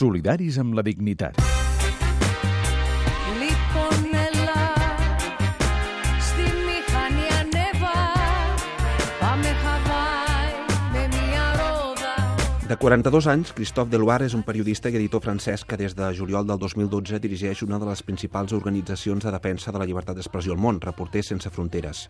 Solidaris amb la dignitat. De 42 anys, Christophe Deloire és un periodista i editor francès que des de juliol del 2012 dirigeix una de les principals organitzacions de defensa de la llibertat d'expressió al món, Reporters sense fronteres.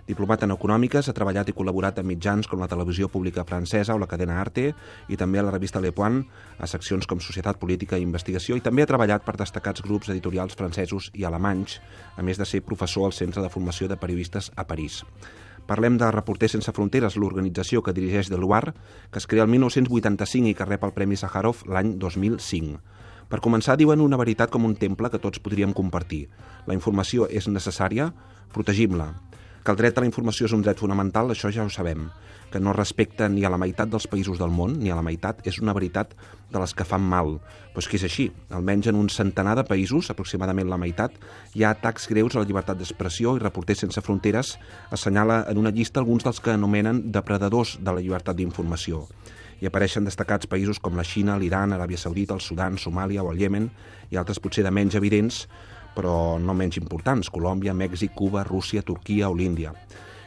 Diplomat en econòmiques, ha treballat i col·laborat en mitjans com la televisió pública francesa o la cadena Arte i també a la revista Le Point, a seccions com Societat Política i Investigació, i també ha treballat per destacats grups editorials francesos i alemanys, a més de ser professor al Centre de Formació de Periodistes a París. Parlem de Reporters sense fronteres, l'organització que dirigeix Deloire, que es crea el 1985 i que rep el Premi Sàjarov l'any 2005. Per començar, diuen una veritat com un temple que tots podríem compartir. La informació és necessària, protegim-la. Que el dret a la informació és un dret fonamental, això ja ho sabem. Que no respecta ni a la meitat dels països del món, ni a la meitat, és una veritat de les que fan mal. Però és que és així. Almenys en un centenar de països, aproximadament la meitat, hi ha atacs greus a la llibertat d'expressió i Reporters sense fronteres assenyala en una llista alguns dels que anomenen depredadors de la llibertat d'informació. Hi apareixen destacats països com la Xina, l'Iran, Aràbia Saudita, el Sudan, Somàlia o el Iemen, i altres potser de menys evidents, però no menys importants, Colòmbia, Mèxic, Cuba, Rússia, Turquia o l'Índia.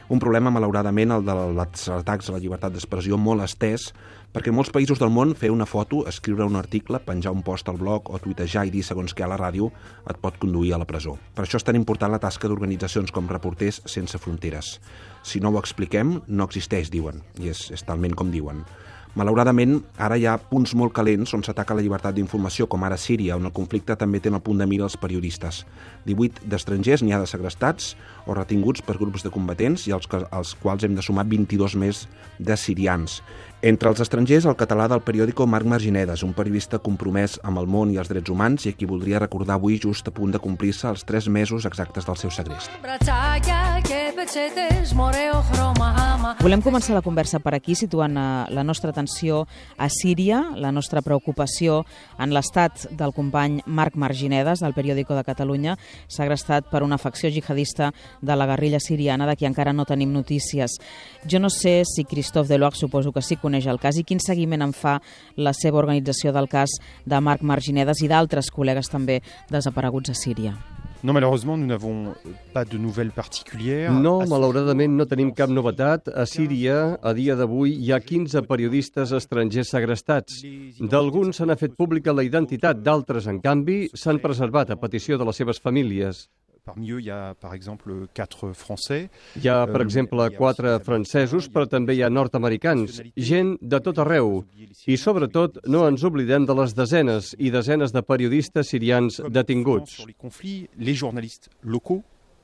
Un problema, malauradament, el dels atacs a la llibertat d'expressió molt estès, perquè en molts països del món fer una foto, escriure un article, penjar un post al blog o tuitejar i dir segons què a la ràdio et pot conduir a la presó. Per això és tan important la tasca d'organitzacions com Reporters sense fronteres. Si no ho expliquem, no existeix, diuen, i és talment com diuen. Malauradament, ara hi ha punts molt calents on s'ataca la llibertat d'informació, com ara Síria, on el conflicte també té en el punt de mira els periodistes. 18 d'estrangers n'hi ha de segrestats o retinguts per grups de combatents i als quals hem de sumar 22 més de sirians. Entre els estrangers, el català del periòdico Marc Marginedes, un periodista compromès amb el món i els drets humans i a qui voldria recordar avui just a punt de complir-se els 3 mesos exactes del seu segrest. Volem començar la conversa per aquí, situant la nostra atenció a Síria, la nostra preocupació en l'estat del company Marc Marginedes, del periòdico de Catalunya, segrestat per una facció jihadista de la guerrilla siriana, de qui encara no tenim notícies. Jo no sé si Christophe Deloire, suposo que sí, coneix el cas i quin seguiment en fa la seva organització del cas de Marc Marginedes i d'altres col·legues també desapareguts a Síria. No, malheureusement, nous n'avons pas de nouvelles particulières. No, malauradament no tenim cap novetat. A Síria, a dia d'avui, hi ha 15 periodistes estrangers segrestats. D'alguns se n'ha fet pública la identitat, d'altres, en canvi, s'han preservat a petició de les seves famílies. Parmi eux, il y a, par exemple, 4 Français. Hi ha, per exemple, 4 francesos, però també hi ha nord-americans, gent de tot arreu. I, sobretot, no ens oblidem de les desenes i desenes de periodistes sirians detinguts.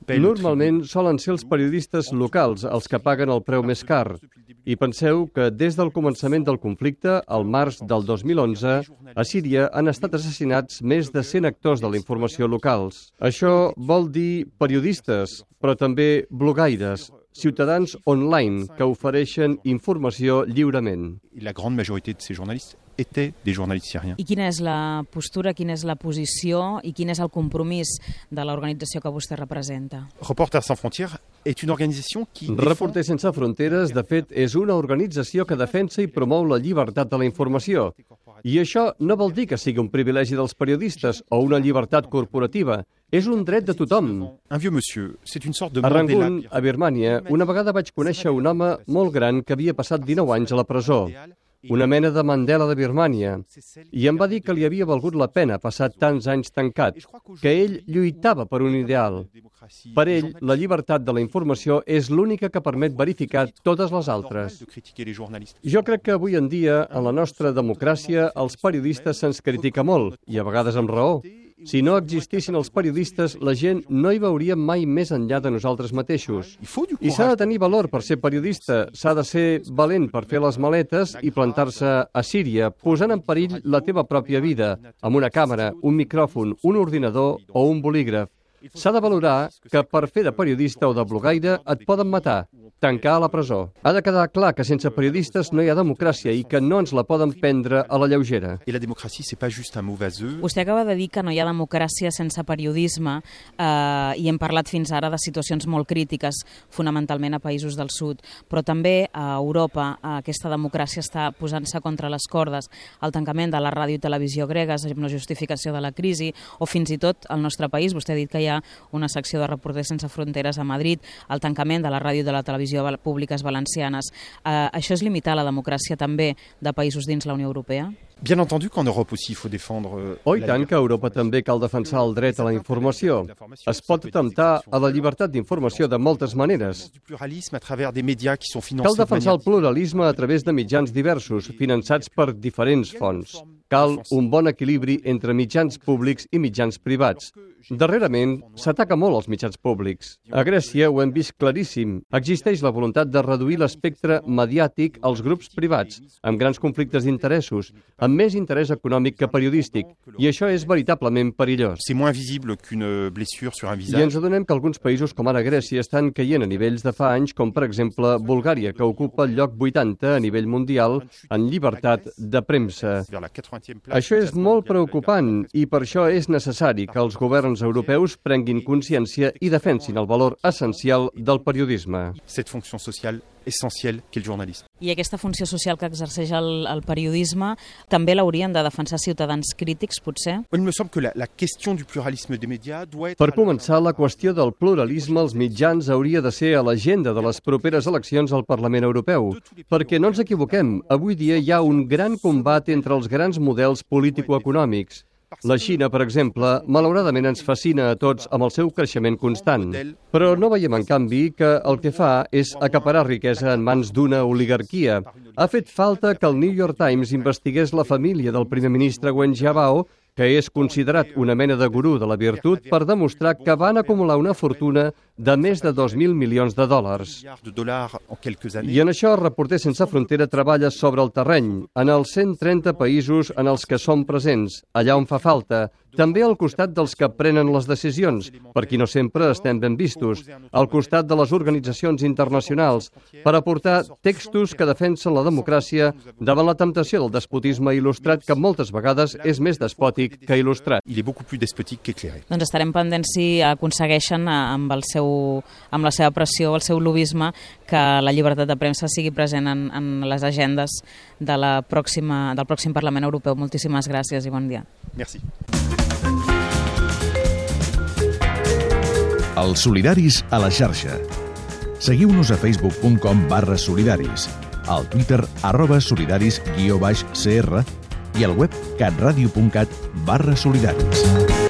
Normalment solen ser els periodistes locals els que paguen el preu més car. I penseu que des del començament del conflicte, al març del 2011, a Síria han estat assassinats més de 100 actors de la informació locals. Això vol dir periodistes, però també blogaires, ciutadans online que ofereixen informació lliurement. La grande majorité de ces journalistes étaient des journalistes syriens. I quina és la postura, quina és la posició i quin és el compromís de l'organització que vostè representa? Reporters sans frontières est une organisation qui Reporters sense fronteres, de fet, és una organització que defensa i promou la llibertat de la informació. I això no vol dir que sigui un privilegi dels periodistes o una llibertat corporativa. És un dret de tothom. Un vieux monsieur, c'est une sorte de A Mandela. Rangoon, a Birmània, una vegada vaig conèixer un home molt gran que havia passat 19 anys a la presó. Una mena de Mandela de Birmània. I em va dir que li havia valgut la pena passar tants anys tancat, que ell lluitava per un ideal. Per ell, la llibertat de la informació és l'única que permet verificar totes les altres. Jo crec que avui en dia, en la nostra democràcia, els periodistes se'ns critica molt, i a vegades amb raó. Si no existissin els periodistes, la gent no hi veuria mai més enllà de nosaltres mateixos. I s'ha de tenir valor per ser periodista, s'ha de ser valent per fer les maletes i plantar-se a Síria, posant en perill la teva pròpia vida, amb una càmera, un micròfon, un ordinador o un bolígraf. S'ha de valorar que per fer de periodista o de blogaire et poden matar, tancar a la presó. Ha de quedar clar que sense periodistes no hi ha democràcia i que no ens la poden prendre a la lleugera. Et la démocratie, c'est pas juste un mot vaseux. Vostè acaba de dir que no hi ha democràcia sense periodisme i hem parlat fins ara de situacions molt crítiques, fonamentalment a països del sud, però també a Europa aquesta democràcia està posant-se contra les cordes. El tancament de la ràdio i televisió gregues amb la justificació de la crisi, o fins i tot al nostre país, vostè ha dit que hi ha una secció de Reporters Sense Fronteres a Madrid, el tancament de la ràdio i de la televisió públiques valencianes. Això és limitar la democràcia també de països dins la Unió Europea? Bien entendu qu'en Europe aussi, il faut défendre... Oh, i tant que a Europa també cal defensar el dret a la informació. Es pot atemptar a la llibertat d'informació de moltes maneres. Cal defensar el pluralisme a través de mitjans diversos, finançats per diferents fonts. Cal un bon equilibri entre mitjans públics i mitjans privats. Darrerament, s'ataca molt als mitjans públics. A Grècia ho hem vist claríssim. Existeix la voluntat de reduir l'espectre mediàtic als grups privats, amb grans conflictes d'interessos, amb més interès econòmic que periodístic, i això és veritablement perillós. C'est moins visible qu'une blessure sur un visage. I ens adonem que alguns països com ara Grècia estan caient a nivells de fa anys, com per exemple Bulgària, que ocupa el lloc 80 a nivell mundial en llibertat de premsa. Això és molt preocupant i per això és necessari que els governs europeus prenguin consciència i defensin el valor essencial del periodisme. Cette fonction sociale essentielle qu'est le journalisme. I aquesta funció social que exerceix el periodisme també l'haurien de defensar ciutadans crítics, potser? Il me semble que la question du pluralisme des médias doit être... Per començar, la qüestió del pluralisme als mitjans hauria de ser a l'agenda de les properes eleccions al Parlament Europeu. Perquè no ens equivoquem, avui dia hi ha un gran combat entre els grans models político-econòmics. La Xina, per exemple, malauradament ens fascina a tots amb el seu creixement constant. Però no veiem, en canvi, que el que fa és acaparar riquesa en mans d'una oligarquia. Ha fet falta que el New York Times investigués la família del primer ministre Wen Jiabao, que és considerat una mena de gurú de la virtut, per demostrar que van acumular una fortuna de més de 2.000 milions de dòlars. I en això Reporters Sense Frontera treballa sobre el terreny, en els 130 països en els que som presents, allà on fa falta, també al costat dels que prenen les decisions, per qui no sempre estem ben vistos, al costat de les organitzacions internacionals, per aportar textos que defensen la democràcia davant la temptació del despotisme il·lustrat, que moltes vegades és més despòtic que il·lustrat. Il est beaucoup plus despotique qu'éclairé. Doncs estarem pendents si aconsegueixen amb la seva pressió, el seu lobisme, que la llibertat de premsa sigui present en les agendes del pròxim Parlament Europeu. Moltíssimes gràcies i bon dia. Merci. Els solidaris a la xarxa. Seguiu-nos a facebook.com/solidaris, al Twitter @solidaris_cr i al web catradio.cat/solidaris.